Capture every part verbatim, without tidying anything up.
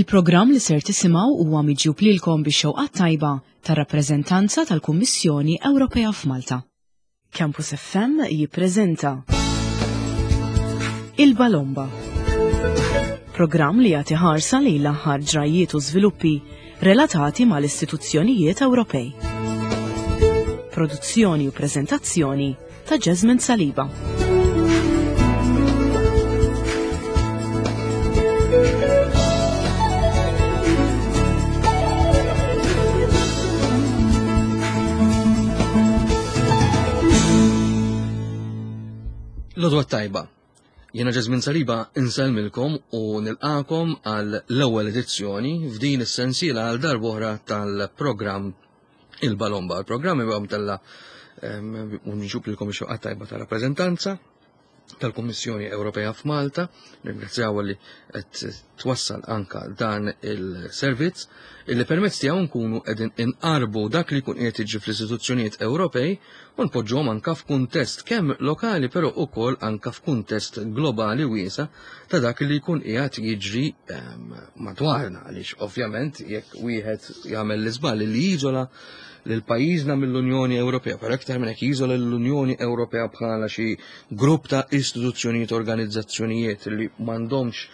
Il-programm li ser tisimgħu huwa miġjub lilkom bix-xewqat tajba tar-rappreżentanza tal-Kummissjoni Ewropea f'Malta. Campus F M jippreżenta Il-Balomba. Programm li jagħti ħarsa lejn l-aħħar ġrajiet u żviluppi relatati mal-istituzzjonijiet Ewropej. Produzzjoni u preżentazzjoni ta' Jasmine Saliba. L-għodwa t-tajba. Jiena Jasmine Saliba insellmilkom u nilqakom għal l-ewwel edizzjoni f'din is-sensiela għal darb'oħra tal-programm Il-Balomba. Il-programm huwa mtella u nġub lilkom ix-xewqa tajba ta' rappreżentanza tal-Kummissjoni Ewropea f'Malta. Ringrazzjaw li qed twassal anka dan il-servizz illi permezz tiegħu nkunu qegħdin inqarbu dak li jkun qiegħed jiġri fl-istituzzjonijiet Ewropej u npoġġuhom anka f'kuntest kemm lokali, però ukoll anka f'kuntest globali wiesa' ta' dak li jkun qiegħed jiġri ehm, madwarna, għaliex ovvjament jekk wieħed jagħmel l-iżball li jiżola lil pajjiżna mill-Unjoni Ewropea, per aktar minn hekk jiżola l-Unjoni Ewropea bħala xi grupp ta' istituzzjonijiet, organizzazzjonijiet li m'għandhomx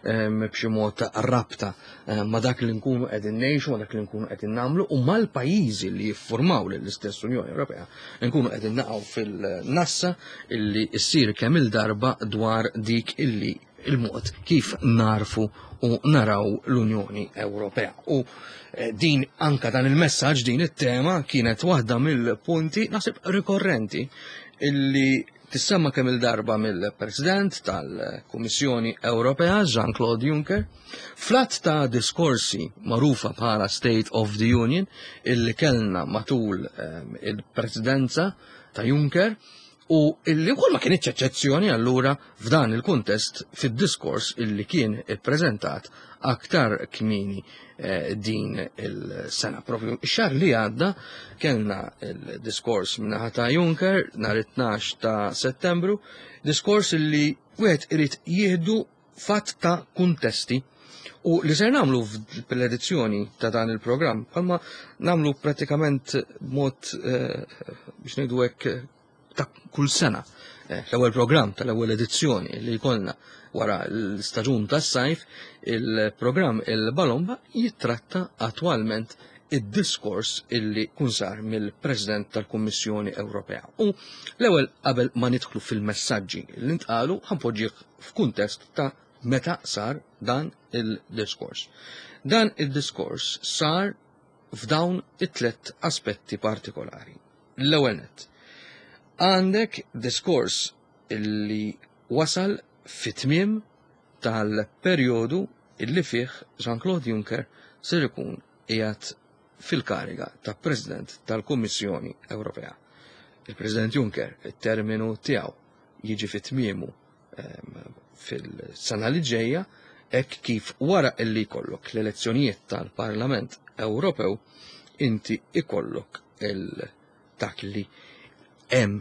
ehm, b'xi mod ta' rabta ehm, ma' dak li nkunu qegħdin ngħixu, ma' dak li nkunu qegħdin nagħmlu u mal-pajjiżi li jiffurmaw lill-istess Unjoni Ewropea, nkunu qegħdin naqgħu fil-nassa illi ssir kemm il-darba dwar dik illi il-mod kif narfu u naraw l-Unjoni Ewropea. U eh, din anka dan il-messaġġ, din it-tema kienet waħda mill-punti naħseb rikorrenti illi tissemma kemm il-darba mill-President tal-Kummissjoni Ewropea Jean-Claude Juncker fl-għadd ta' diskorsi magħrufa bħala State of the Union illi kellna matul ehm, il-presidenza ta' Juncker u illi wkoll ma kienx eċċezzjoni allura f'dan il-kuntest fid-diskors illi kien ippreżentat aktar kmieni eh, din il-sena. Propju ix-xahar li għadda kellna il-diskors min-naħa ta' Juncker nhar it-tnax ta' Settembru, diskors illi wieħed irid jieħdu f'għadd ta' kuntesti u li ser nagħmlu fl-edizzjoni ta' dan il-programm, bħalma nagħmlu pratikament b'mod eh, biex ngħidu hekk ta' kull sena. Eh, L-ewwel programm tal-ewwel edizzjoni li jkollna wara l-staġun tas-sajf, il-programm Il-Balomba jittratta attwalment id-diskors illi kun sar mill-President tal-Kummissjoni Ewropea. U l-ewwel, qabel ma nidħlu fil-messaġġi li ntqalu, ħa npoġġih f'kuntest ta' meta sar dan il-diskors. Dan il-diskors sar f'dawn it-tlet aspetti partikolari. L-ewwel nett, għandek diskors illi wasal fit-tmiem tal-perjodu illi fih Jean-Claude Juncker ser ikun qiegħed fil-kariga ta' President tal-Kummissjoni Ewropea. Il-President Juncker, it-terminu tiegħu jiġi fit-tmiemu ehm, fil-sena li ġejja, hekk kif wara illi jkollok l-elezzjonijiet tal-Parlament Ewropew inti ikollok il dak li hemm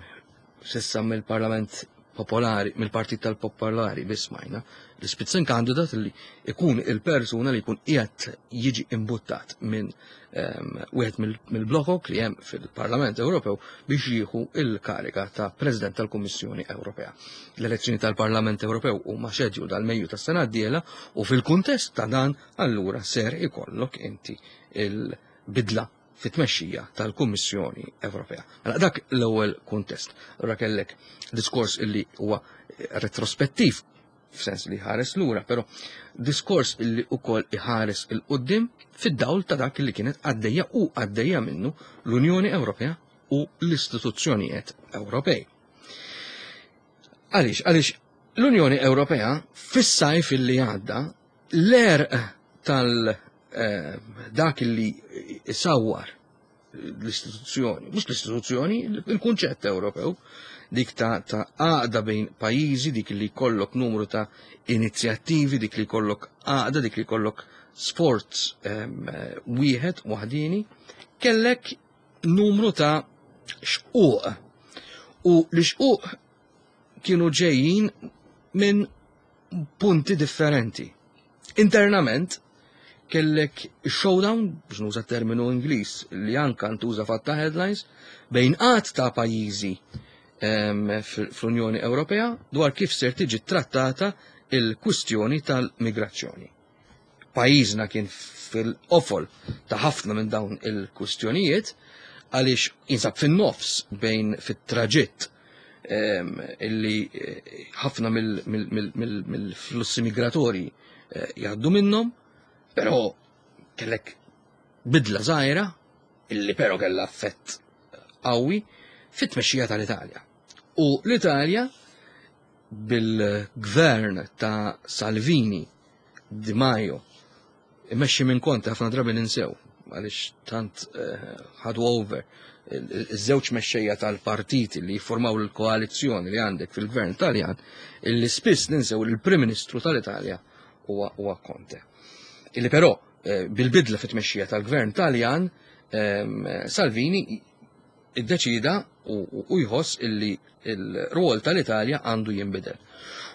s'issa mill-Parlament Popolari, mill-Partit tal-Popolari biss smajna, l-Spitzenkandidat li ikun il-persuna li jkun qiegħed jiġi imbuttat minn ehm, wieħed mill-blokok li hemm fil-Parlament Ewropew biex jieħu il-kariga ta' President tal-Kummissjoni Ewropea. L-elezzjoni tal-Parlament Ewropew huma scheduled għal Mejju tas-sena d-dieħla u fil-kuntest ta' dan allura ser ikollok inti il-bidla fit-tmexxija tal-Kummissjoni Ewropea. Mela dak l-ewwel kuntest. Allura kellek diskors illi huwa retrospettiv f'sens li ħares lura, però diskors illi ukoll iħares 'il quddiem fid-dawl ta' dak li kienet għaddejja u għaddejja minnu l-Unjoni Ewropea u l-istituzzjonijiet Ewropej. Għaliex, għaliex l-Unjoni Ewropea fis-sajf illi għadda, l-għerq tal eh, dak li isawwar l-istituzzjoni, mhux l-istituzzjoni, il-kunċett Ewropew, dik ta' ta' għaqda bejn pajjiżi, dik li jkollok numru ta' inizjattivi, dik li jkollok għaqda, dik li jkollok sforz ehm, wieħed waħdini, kellek numru ta' xquq. U li xquq kienu ġejjin minn punti differenti. Internament, Kellek showdown, biex nuża terminu Ingliż li anka ntuża fatta headlines, bejn għadd ta' pajjiżi fl-Unjoni Ewropea dwar kif ser tiġi trattata il-kwistjoni tal-migrazzjoni. Pajjiżna kien fil-qofol ta' ħafna minn dawn il-kwistjonijiet għaliex jinsab fin-nofs bejn fit-traġitt illi ħafna mill-flussi migratorji jgħaddu minnhom, però kellek bidla żgħira illi però kellha effett qawwi fit-tmexxija tal-Italja. U l-Italja bil-gvern ta' Salvini, Di Maio, imexxi minn Conte, ħafna drabi ninsew għaliex tant ħadu over iż-żewġ mexxejja tal-partiti li jiffurmaw l-koalizzjoni li għandek fil-gvern Taljan, illi spiss ninsew li l-Prim Ministru tal-Italja huwa Conte. Illi però bil-bidla fit-tmexxija tal-gvern Taljan, Salvini iddeċida u jħoss illi il-rwol tal-Italja għandu jinbidel.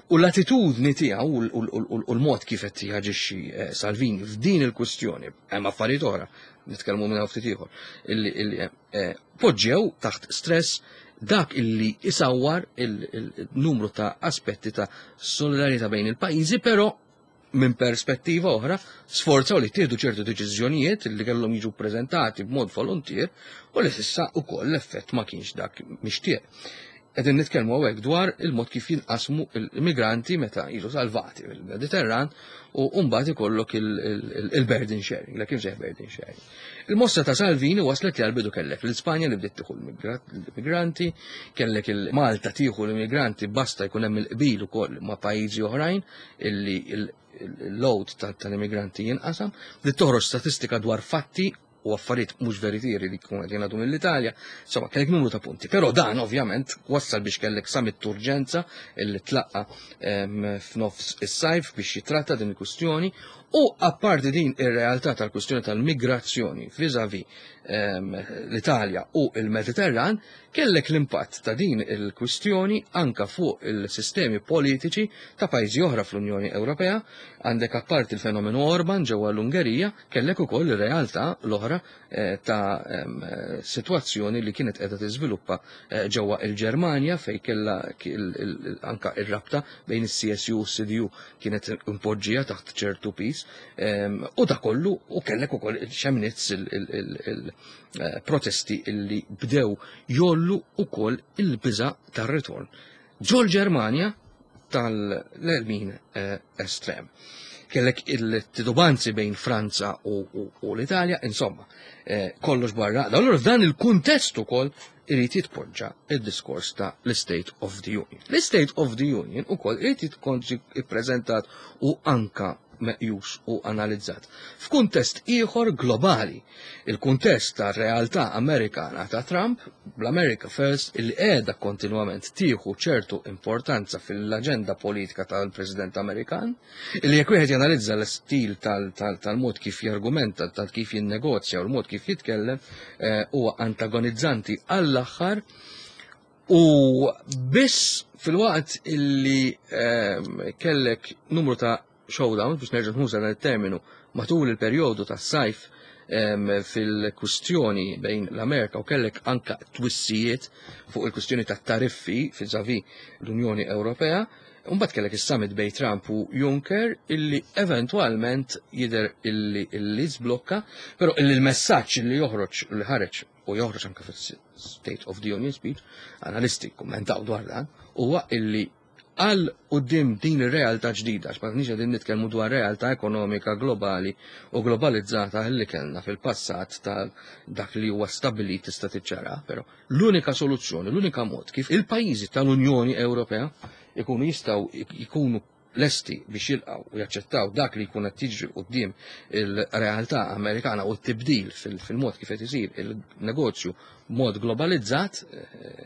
U l-attitudni tiegħu u l-mod kif qed jaġixxi Salvini f'din il-kwistjoni, hemm affarijiet oħra, nitkellmu minn ftit ieħor, illi poġġew taħt stress dak illi isawwar il-numru ta' aspetti ta' solidarjetà bejn il-pajjiżi, però minn perspettiva oħra sforzaw li tieħdu ċertu deċiżjonijiet li kellhom jiġu ppreżentati b'mod volontier u li s'issa ukoll l-effett ma kienx dak mixtieq. Qegħdin nitkellmu hawnhekk dwar il-mod kif jinqasmu l-immigranti meta jiġu salvati mill-Mediterran u mbagħad ikollok il-burden sharing, l kif seħ burden sharing. Il-mossa ta' Salvini waslet li għal-bidu kellek l-Ispanja li bdiet tieħu l-immigranti, kellek il-Malta tieħu l-immigranti basta jkun hemm il-qbil ukoll ma' pajjiżi oħrajn illi il-load tal-immigranti jinqasam, bdiet toħroġ statistika dwar fatti u affarijiet mhux veritieri li jkunu qed jingħadu mill-Italja, insomma kellek numru ta' punti. Però dan ovvjament wassal biex kellek summit urġenza illi tlaqqa f'nofs is-sajf biex jitratta din il-kwistjoni, u apparti din ir-realtà tal-kwistjoni tal-migrazzjoni vis-à-vis l-Italja u il-Mediterran, kellek l-impatt ta' din il-kwistjoni anka fuq il-sistemi politiċi ta' pajjiżi oħra fl-Unjoni Ewropea. Għandek apparti il-fenomenu Orban ġewwa l-Ungerija, kellek ukoll ir-realtà l-oħra ta' sitwazzjoni li kienet qiegħda tiżviluppa ġewwa il-Ġermanja, fejn kellha anka ir-rabta bejn is-C S U u s-C D U kienet impoġġija taħt ċertu pis, u da kollu, u kellek ukoll Chemnitz il-protesti illi bdew jollu ukoll il-biża' tar-ritorn ġol Ġermanja tal-lemin estrem. Kellek il-titubanzi bejn Franza u, u, u l-Italja, insomma, kollox barra. Allura f'dan il-kuntest ukoll irid jitpoġġa il-diskors ta' l-State of the Union. L-State of the Union ukoll irid jitkonġi ippreżentat u anka meqjus u analizzat f'kuntest ieħor globali, il-kuntest ta' realtà Amerikana ta' Trump, bl-America First, illi qiegħda kontinwament tieħu ċertu importanza fil-aġenda politika tal-President Amerikan, illi jekk wieħed janalizza l-istil tal-mod kif jargumenta, tal kif jinnegozja u l-mod kif jitkellem, huwa antagonizzanti għall-aħħar. U biss fil-waqt illi kellek numru ta' showdown, biex nerġa' nuża dan it-terminu, matul il-perjodu tas-sajf fil-kwistjoni bejn l-Amerika, u kellek anka twissijiet fuq il-kwistjoni tat tariffi vis-à-vis l-Unjoni Ewropea, mbagħad kellek is-summit bejn Trump u Juncker illi eventwalment jidher illi illi żblokka, però illi l-messaġġ illi joħroġ, li ħareġ u joħroġ anke fis-State of the Union speech, analisti kummentaw dwar dan, huwa illi għal quddiem din ir-realtà ġdida, għax ma nix qegħdin nitkellmu dwar realtà ekonomika globali u globalizzata li kellna fil-passat ta' dak li huwa stabbilit tista' tiċċara, però l-unika soluzzjoni, l-unika mod kif il-pajjiżi tal-Unjoni Ewropea ikunu jistgħu jkunu lesti biex jilqgħu u jaċċettaw dak li jkun qed jiġri quddiem il-realtà Amerikana u t-tibdil fil-mod kif qed isir il-negozju b'mod globalizzat,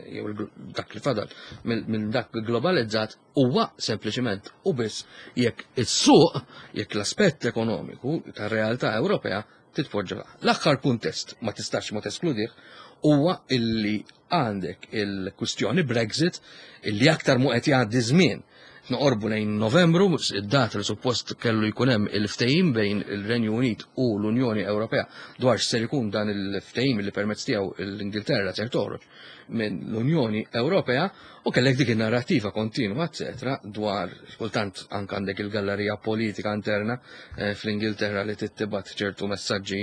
jew dak li fadal minn dak globalizzat, huwa sempliċiment u biss jekk is-suq, jekk l-aspett ekonomiku tar-realtà Ewropea titpoġġa. L-aħħar kuntest ma tistax ma teskludih huwa illi għandek il-kwistjoni Brexit, illi aktar mu qed jgħaddi żmien Noqorbu lejn Novembru, id-data li suppost kellu jkun hemm il-ftehim bejn il-Renju Unit u l-Unjoni Ewropea dwar x'ser ikun dan il-ftehim li permezz tiegħu l-Ingilterra ser toħroġ minn l-Unjoni Ewropea, u kellek dik in-narrattiva kontinwa, eċetera, dwar kultant anke għandek il-gallerija politika interna eh, fl-Ingilterra li tittibat ċertu messaġġi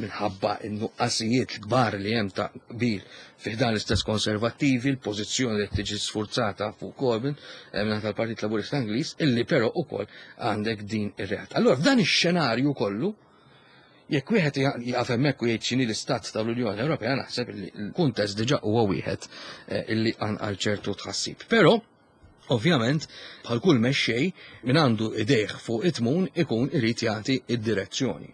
minħabba n-nuqqasijiet kbar li hemm ta' qbil fi dan l-istess konservattivi, l-pożizzjoni li tiġi sfurzata fuq Corbyn eh, minn tal-Partit Laburista Ingliż, illi però ukoll għandek din ir-realtà. Allora f'dan ix-xenarju kollu, jekk wieħed jaqaf hemmhekk u jgħid x'inhi l-istat tal-Unjoni Ewropea, naħseb li l-kuntest diġà huwa wieħed eh, illi qanqal ċertu tħassib. Però ovvjament, bħal kull mexxej min għandu idejh fuq it-tmun ikun irid jagħti id-direzzjoni.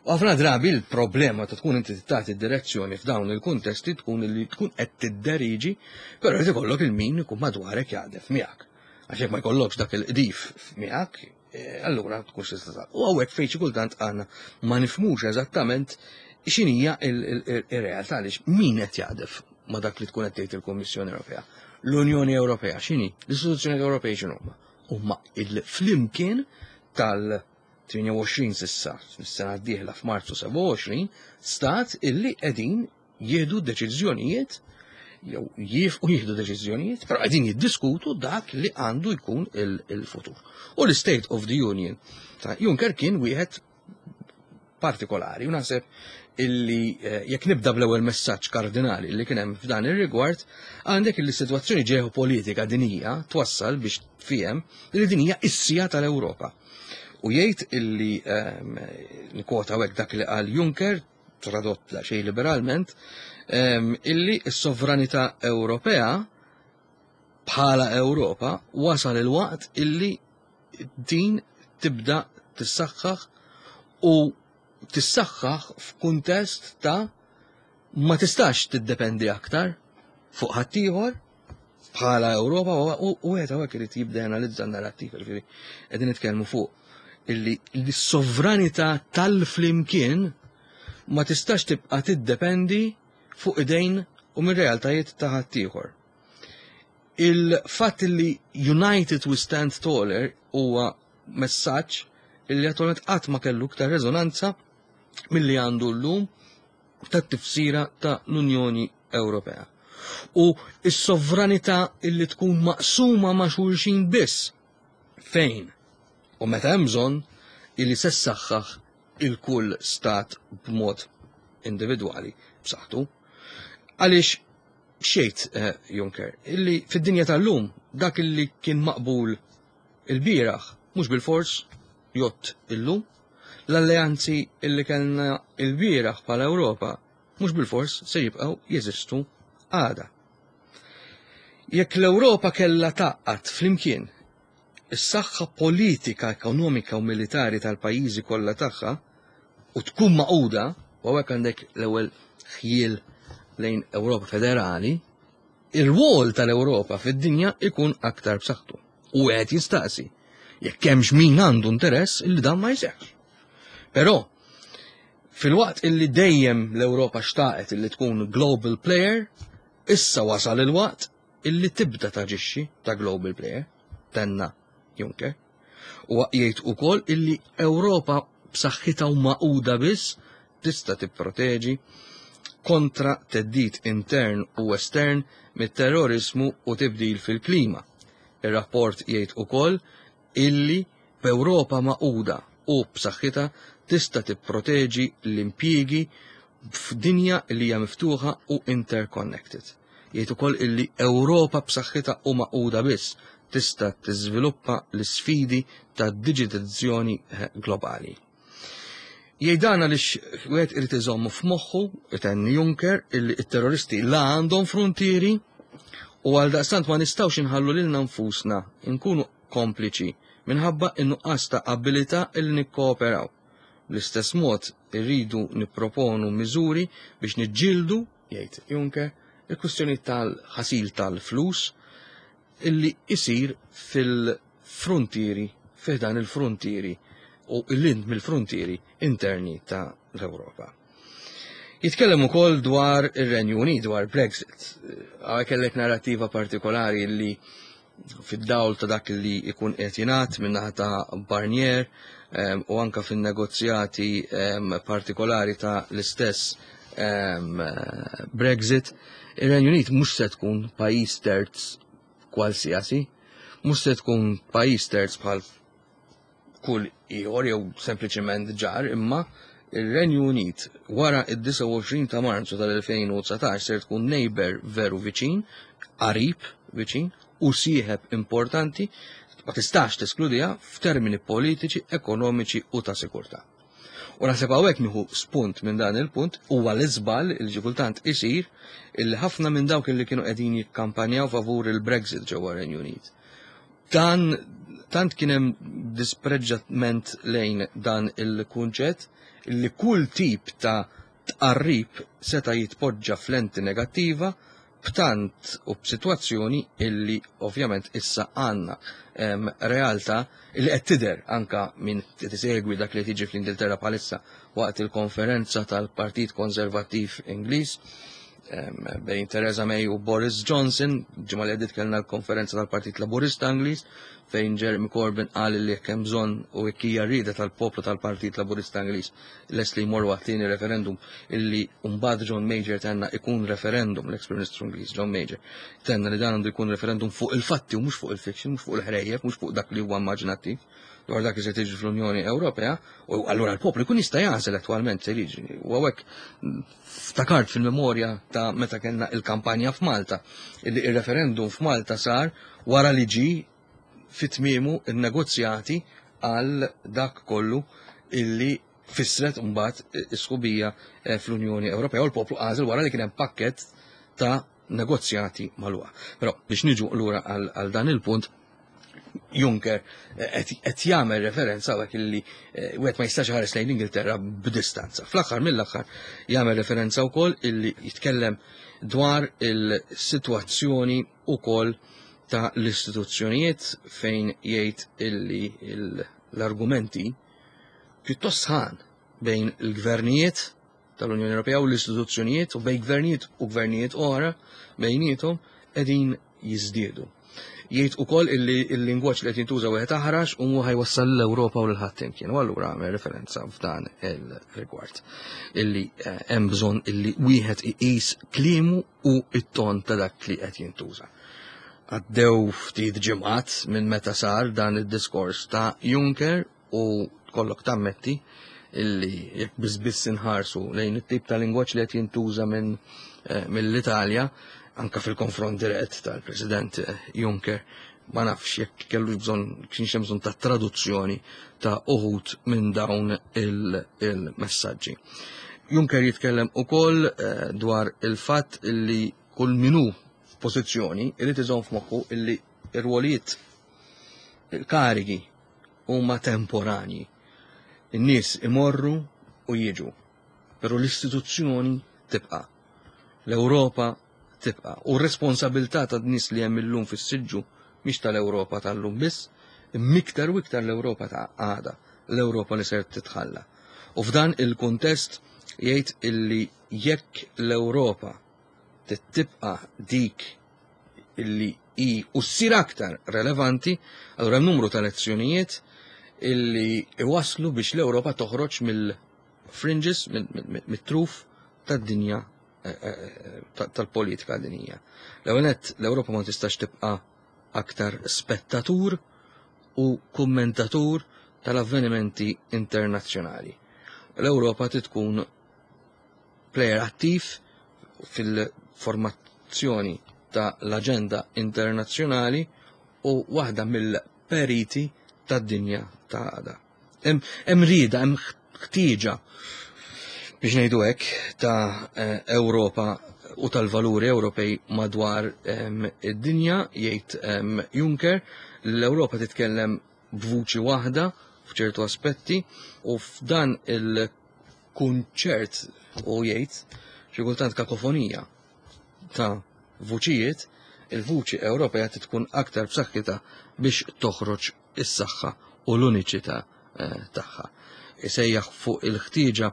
U ħafna drabi l-problema ta' tkun inti tagħti id-direzzjoni f'dawn il-kuntesti tkun li tkun qed tidderiġi, però jrid ikollok il-min ikun madwarek jaqdef miegħek. Għax jekk ma jkollokx dak il-qdif miegħek, eh, allura tkunx tista' U hawnhekk fejn xi kultant għandna ma nifhmux eżattament x'inhija ir-realtà, għaliex min qed jaqdef ma dak li tkun qed tgħid il-Kummissjoni Ewropea? L-Unjoni Ewropea x'inhi? L-istituzzjoni Ewropej x'inhuma? Huma il-flimkien tal tmienja u għoxrin s'issa, s-sena d-dieħla f'Marzu sebgħa u għoxrin, stat illi qegħdin jieħdu deċiżjonijiet jew jifqu jieħdu deċiżjonijiet, però qegħdin jiddiskutu dak li għandu jkun il-futur. U l-State of the Union ta' Juncker kien wieħed partikolari, u naħseb illi eh, jekk nibda bl-ewwel messaġġ kardinali li kien hemm f'dan ir-rigward, għandek illi sitwazzjoni ġeopolitika dinija twassal biex tfiem li din hija is-siegħa tal-Ewropa. U jgħid illi ehm, nkwota hekk dak li qal Juncker, tradott la xejn liberalment, ehm, illi s-sovranità Ewropea bħala Ewropa wasal il-waqt illi din tibda tissaħħaħ u tissaħħaħ f'kuntest ta' ma tistax tiddependi aktar fuq ħaddieħor bħala Ewropa, u wieħed hawnhekk irid jibda janalizza n-narrattiva, ġifieri qegħdin nitkellmu fuq illi l-sovranità tal-flimkien ma tistax tibqa' tiddependi fuq idejn u minn realtajiet ta' ħaddieħor. Il-fatt li "United we stand taller" huwa messaġġ illi attualment qatt ma kellu iktar reżonanza milli għandu llum tat-tifsira ta' l-Unjoni Ewropea. U s-sovranità illi tkun maqsuma ma' xulxin biss fejn u meta hemm bżonn illi se ssaħħaħ il-kull stat b'mod individwali b'saħħtu. Għaliex xejt eh, Juncker, illi fid-dinja tal-lum dak illi kien maqbul il-bieraħ mhux bil-fors jgħodd illum, l-alleanzi illi kellna il-bieraħ bħala Ewropa mhux bil-fors se jibqgħu jeżistu għada. Jekk l-Ewropa kellha tgħaqqad flimkien is-saħħa politika, ekonomika u militari tal-pajjiżi kollha tagħha u tkun magħquda, u hawnhekk għandek l-ewwel ħjiel lejn Ewropa federali, ir-rwol tal-Ewropa fid-dinja ikun aktar b'saħħtu. U qed jistaqsi jekk hemmx min għandu interess illi dan ma jseħħx. Però filwaqt illi dejjem l-Ewropa xtaqet illi tkun global player, issa wasal il-waqt illi tibda taġixxi ta' global player, tenna Juncker. U jgħid ukoll illi Ewropa b'saħħitha u magħquda biss tista' tipproteġi kontra theddid intern u estern mit-terrorizmu u tibdil fil-klima. Ir-rapport jgħid ukoll illi b'Ewropa magħquda u b'saħħitha tista' tipproteġi l-impjiegi f'dinja li hija miftuħa u interconnected. Jgħid ukoll illi Ewropa b'saħħitha u magħquda biss tista' tiżviluppa l-isfidi ta' digitalizzazzjoni eh, globali. Jgħid dan għaliex wieħed irid iżommu f'moħħu, itenni Juncker, illi t-terroristi la għandhom frontieri u għal daqstant ma nistgħux inħallu lilna nfusna nkunu kompliċi minħabba in-nuqqas ta' abilità illi nikkooperaw. Bl-istess mod irridu nipproponu miżuri biex niġġieldu, jgħid Juncker, il-kwistjoni tal-ħasil tal-flus illi isir fil-frontieri, fiħdan il-frontieri u il-lind mill-frontieri interni ta' l-Ewropa. Jitkellem ukoll dwar ir-Renju Unit, dwar Brexit. Hawnhekk kellek narrativa partikolari li fid-dawl ta' dak li jkun qed jingħad min-naħa ta' Barnier u anka fin-negozjati partikolari ta' l-istess Brexit, ir-Renju Unit mhux se tkun pajjiż terz kwalsiasi, mhux se tkun pajjiż terz bħal kull ieħor jew sempliċement ġar, imma ir-Renju Unit wara id-disgħa u għoxrin ta' Marzu tal-elfejn u dsatax ser tkun neighbor veru viċin, qarib viċin u sieħeb importanti, ma tistax teskludiha f'termini politiċi, ekonomiċi u ta' sikurtà. U naħseb hawnhekk nieħu spunt minn dan il-punt, huwa l-iżball il xi kultant isir illi ħafna minn dawk li kienu qegħdin jikkampanjaw favur il-Brexit ġewwa Renju Unit. Dan tant kien hemm dispreġġament lejn dan il-kunċett li kull tip ta' tqarrib seta' jitpoġġa f'lenti negattiva b'tant u b'sitwazzjoni illi ovvjament issa għandna, em, realtà illi qed tidher anka minn tisegwi dak li tiġi fl-Ingilterra bħalissa waqt il-konferenza tal-Partit Konservattiv Ingliż, em, bejn Theresa May u Boris Johnson. Ġimgħa li għaddiet kellna l-konferenza tal-Partit Laburista Ingliż fejn Jeremy Corbyn qal li jekk hemm bżonn u jekk hija rieda tal-poplu tal-Partit Laburista Ingliż lest li jmorru għat-tieni referendum, illi mbagħad John Major tenna ikun referendum, l-ex-Prim Ministru Ingliż John Major tenna li dan għandu jkun referendum fuq il-fatti u mhux fuq il-fiction, mhux fuq il-ħrejjef, mhux fuq dak li huwa immaġinattiv dwar dak li se tiġi fl-Unjoni Ewropea, u allura l-poplu jkun jista' jagħżel attwalment se jiġri. U hawnhekk ftakart fil-memorja ta' meta kellna il-kampanja f'Malta, illi il-referendum f'Malta sar wara li ġi fit-tmiemu il-negozjati għal dak kollu illi fissret mbagħad is-sħubija, eh, fl-Unjoni Ewropea, u l-poplu għażel wara li kien hemm pakkett ta' negozjati magħluqa. Però biex niġu lura għal, għal dan il-punt, Juncker, eh, qed, qed jagħmel referenza hawnhekk illi, eh, wieħed ma jistax ħares lejn l-Ingilterra b'distanza. Fl-aħħar mill-aħħar jagħmel referenza wkoll illi jitkellem dwar il-sitwazzjoni wkoll ta' l-istituzzjonijiet fejn jgħid illi il-, l-argumenti pjuttost sħan bejn il-gvernijiet tal-Unjoni Ewropea u l-istituzzjonijiet u bejn gvernijiet u gvernijiet oħra bejniethom qegħdin jiżdiedu. Jgħid ukoll illi il-lingwaġġ li qed jintuża wieħed aħrax u mhu ħajwassal l-Ewropa u lil ħadd imkien. U allura għamel referenza f'dan il-rigward illi, eh, hemm bżonn illi wieħed iqis kliemu u it-ton ta' dak li qed jintuża. Għaddew ftit ġimgħat minn meta sar dan id-diskors ta' Juncker u kollok tammetti illi jekk biss biss inħarsu lejn it-tip ta' lingwaġġ li qed jintuża minn, eh, mill-Italja, anka fil-konfront dirett tal-President, eh, Juncker, ma nafx jekk kellu bżonn, kienx hemm bżonn ta' traduzzjoni ta' uħud minn dawn il-, il-messaġġi. Juncker jitkellem ukoll, eh, dwar il-fatt illi kull minu f'pożizzjoni irid iżomm f'moħħu illi ir-rwolijiet, il-karigi huma temporanji. In-nies imorru u jiġu, però l-istituzzjoni tibqa'. L-Ewropa tibqa'. U r-responsabilità ta' nies li hemm illum fis-siġġu mhix tal-Ewropa tal-lum biss, imma iktar u iktar l-Ewropa ta' għada, l-Ewropa li ser titħalla. U f'dan il-kuntest jgħid illi jekk l-Ewropa tibqa' dik illi hi u ssir aktar relevanti, allura hemm numru ta' lezzjonijiet illi iwaslu biex l-Ewropa toħroġ mill-fringes, mit-truf tad-dinja, eh, eh, ta-, tal-politika dinjija. L-ewwel nett, l-Ewropa ma tistax tibqa' aktar spettatur u kummentatur tal-avvenimenti internazzjonali. L-Ewropa trid tkun player attiv fil-formazzjoni ta' l-aġenda internazzjonali u waħda mill-periti tad-dinja ta' għada. Hemm rieda, hemm ħtieġa biex ngħidu hekk ta', eh, Ewropa u tal-valuri Ewropej madwar, em, id-dinja, jgħid, em, Juncker. L-Ewropa titkellem b'vuċi waħda f'ċertu aspetti u f'dan il-kunċert u jgħid xi kultant kakofonija ta' vuċijiet, il-vuċi Ewropea tkun aktar b'saħħitha biex toħroġ is-saħħa u l-uniċità, eh, tagħha. Isejjaħ fuq il-ħtieġa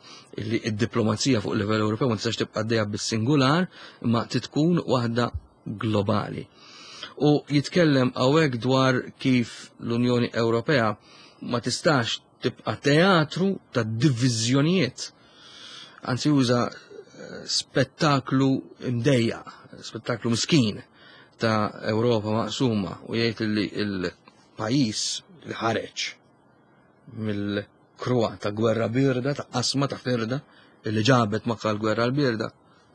li id-diplomazija fuq livell Ewropew ma tistax tibqa' għaddejja bis-singular, imma titkun waħda globali. U jitkellem hawnhekk dwar kif l-Unjoni Ewropea ma tistax tibqa' teatru ta' diviżjonijiet. Anzi uża spettaklu imdejja, spettaklu miskin ta' Ewropa maqsuma u jgħid li l-pajjiż li ħareġ mill-kruha ta' gwerra birda, ta' qasma ta' firda, li ġabet magħha l-gwerra l-birda,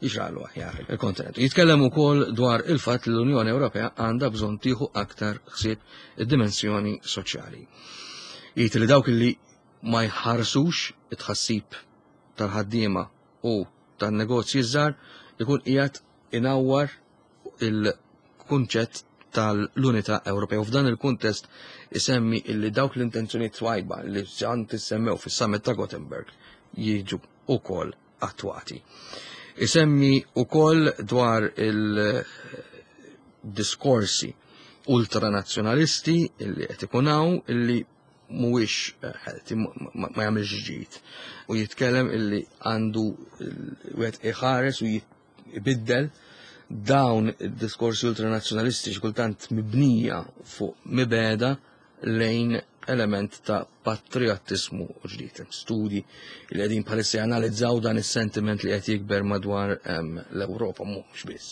jixraqlu aħjar il-kontinent. Jitkellem ukoll dwar il-fatt li l-Unjoni Ewropea għandha bżonn tieħu aktar ħsieb id-dimensjoni soċjali. Jgħid li dawk li ma jħarsux it-tħassib tal-ħaddiema u tan-negozji żgħar ikun qiegħed inawwar il-kunċett tal-Unità Ewropea. U f'dan il-kuntest isemmi illi dawk l-intenzjonijiet twajba li ġan tissemmew fis-summit ta' Gothenburg jiġu ukoll attwati. Isemmi ukoll dwar il-diskorsi ultranazzjonalisti illi qed ikun hawn illi mhuwiex healthy, ma jagħmilx ġid. U jitkellem illi għandu wieħed iħares u jibiddel dawn id-diskorsi ultranazzjonalisti xi kultant mibnija fuq mibegħda lejn element ta' patriottismu ġdid. Studi li qegħdin bħalissa janalizzaw dan is-sentiment li qed jikber madwar l-Ewropa mhux biss.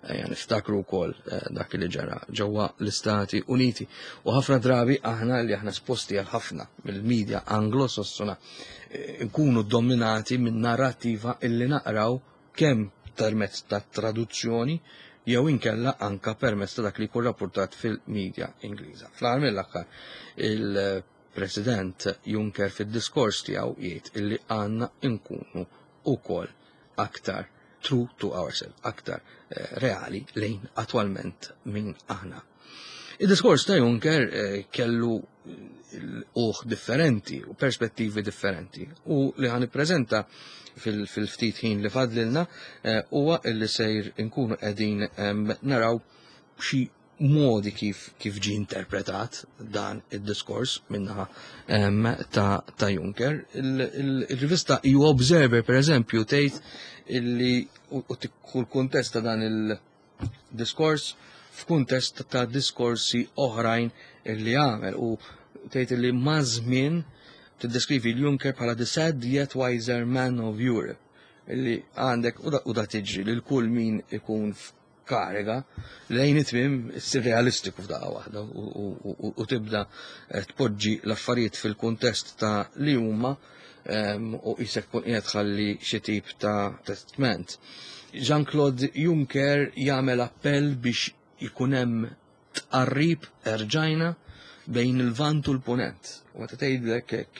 Ejja niftakru wkoll dak li ġara ġewwa l-Istati Uniti. U ħafna drabi aħna li aħna esposti għal ħafna mill-medja anglosassona nkunu dominati minn narrativa illi naqraw kemm permezz ta' traduzzjoni jew inkella anka permezz ta' dak li jkun rapportat fil-medja Ingliża. Fl-aħħar mill-aħħar il-President Juncker fid-diskors tiegħu jgħid illi għandna nkunu ukoll aktar true to ourselves, aktar eh, reali lejn attwalment min aħna. Il-diskors ta' Juncker eh, kellu uħ differenti u perspettivi differenti u li ħa nippreżenta fil-ftit ħin li fadlilna eh, huwa illi sejr inkunu qegħdin naraw xi modi kif kif ġi interpretat dan id-diskors minnaħa ta', ta' Juncker. Il-rivista E U Observer, per eżempju, tgħid illi u kull kuntest ta' dan il-diskors f'kuntest ta' diskorsi oħrajn illi għamel u tgħid illi ma' żmien tiddeskrivi l-Juncker bħala the sad yet wiser man of Europe, illi għandek u da tiġri lil kull min ikun f'kariga lejn it-tmiem issir realistiku f'daqqa waħda u tibda eh, tpoġġi l-affarijiet fil-kuntest ta' li huma u jisek kun qiegħed ħalli xi tip ta' testment. Jean-Claude Juncker jagħmel appell biex ikun hemm tqarrib erġajna bejn il-Vant u l-Punent. U meta tgħidlek hekk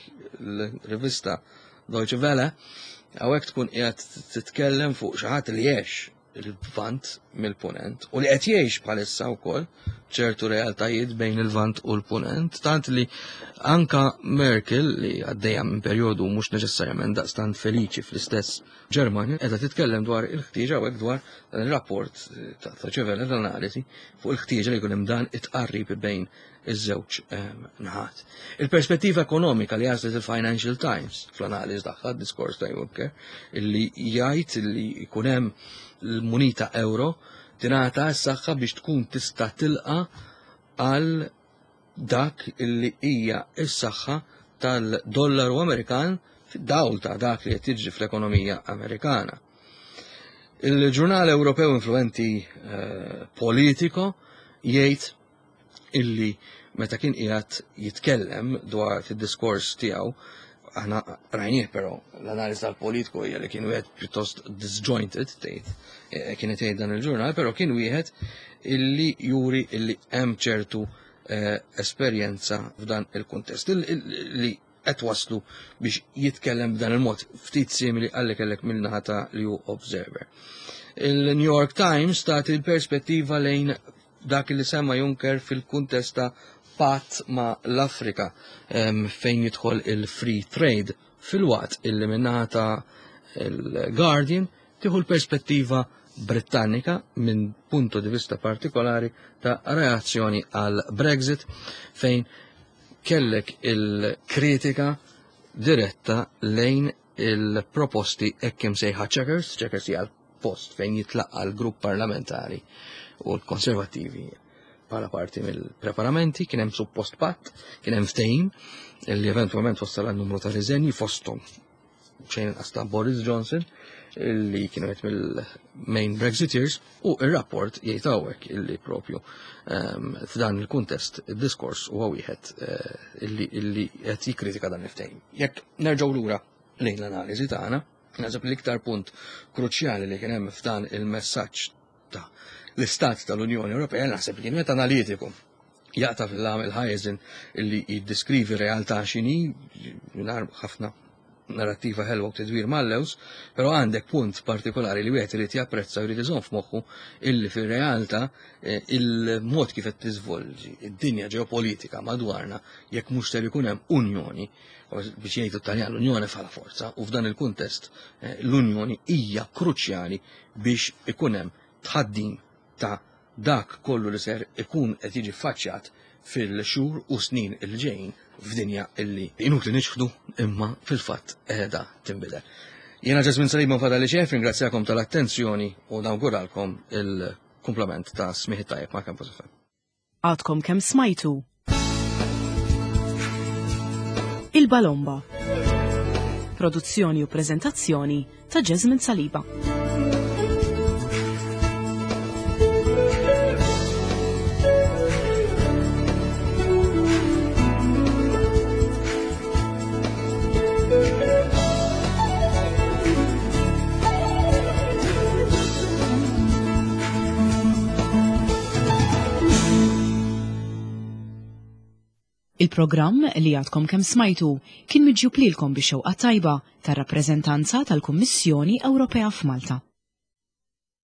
l-rivista Deutsche Welle, hawnhekk tkun qiegħed titkellem fuq xi ħadd li għex il-Vant mill-Punent u li qed jgħix bħalissa wkoll ċertu realtajiet bejn il-Vant u l-Punent, tant li anka Merkel, li għaddejja minn perjodu mhux neċessarjament daqstant feliċi fl-istess Ġermanja, qiegħda titkellem dwar il-ħtieġa u dwar dan ir-rapport ta' Deutsche Welle, l-analiżi fuq il-ħtieġa li jkun hemm dan it-tqarrib bejn iż-żewġ ehm, naħat. Il-perspettiva ekonomika li għażlet il-Financial Times fl-analiż tagħha diskors ta' Juncker, illi jgħid li jkun hemm l-munita euro tingħata s-saħħa biex tkun tista' tilqa għal dak illi hija s-saħħa tal-dollaru Amerikan fid-dawl ta' dak li qed jiġri fl-ekonomija Amerikana. Il-ġurnal Ewropew influenti eh, Politico jgħid illi meta kien qiegħed jitkellem dwar fid-diskors tiegħu, aħna rajnieh, però l-analiż tal-Politico hija li kien wieħed pjuttost disjointed, tgħid eh, kienet tgħid dan il-ġurnal, però kien wieħed illi juri illi hemm ċertu eh, esperjenza f'dan il-kuntest li qed waslu biex jitkellem b'dan il-mod ftit simili għalli kellek mill-naħa ta' E U Observer. Il-New York Times tagħti l-perspettiva lejn dak li semma Juncker fil-kuntest ta' patt ma' l-Afrika fejn jidħol il-free trade, filwaqt illi min-naħa ta' il-Guardian tieħu l-perspettiva Britannika minn punto di vista partikolari ta' reazzjoni għal Brexit, fejn kellek il-kritika diretta lejn il-proposti hekk imsejħa Chequers. Chequers hija post fejn jitlaqqa l-grupp parlamentari u l-konservativi bħala parti mill-preparamenti, kien hemm suppost patt, kien hemm ftehim li eventwalment wassal għal numru ta' riżenji, fosthom xejn inqas ta' Boris Johnson, illi kienu qed mill-main Brexiteers, u ir-rapport jgħid hawnhekk illi propju ehm, f'dan il-kuntest id-diskors huwa wieħed eh, illi illi qed jikkritika dan il-ftehim. Jekk nerġgħu lura lejn l-analiżi tagħna, naħseb l-iktar punt kruċjali li kien hemm f'dan il-messaġġ ta' l-Istat tal-Unjoni Ewropea, naħseb li kien wieħed analitiku, jaqta' fil-għam il-ħajżin illi jiddiskrivi realtà x'inhi, mingħajr ħafna narrattiva ħelwa u tidwir mal-lews, però għandek punt partikolari li wieħed irid japprezza u jrid iżomm f'moħħu illi fir-realtà eh, il-mod kif qed tiżvolġi id-dinja ġeopolitika madwarna, jekk mhux ser ikun hemm unjoni, biex jgħidu Taljan l-unjoni bħala forza, u f'dan il-kuntest eh, l-unjoni hija kruċjali biex ikun hemm tħaddim ta' dak kollu li ser ikun qed jiġi faċċjat fil-xhur u snin il ġejjin f'dinja illi inutli niċħdu imma fil-fatt qiegħda tinbidel. Jiena Ġasmin Salib, fadal li xef, ringrazzjakom tal-attenzjoni u nawguralkom il-kumplament ta' smigħ tajjeb ma' Campus F M. Għadkom kemm smajtu Il-Balomba. Produzzjoni u prezentazzjoni ta' Jasmine Saliba. Il-programm li għadkom kemm smajtu kien miġjub lilkom bix-xewqa tajba tar-rappreżentanza tal-Kummissjoni Ewropea f'Malta.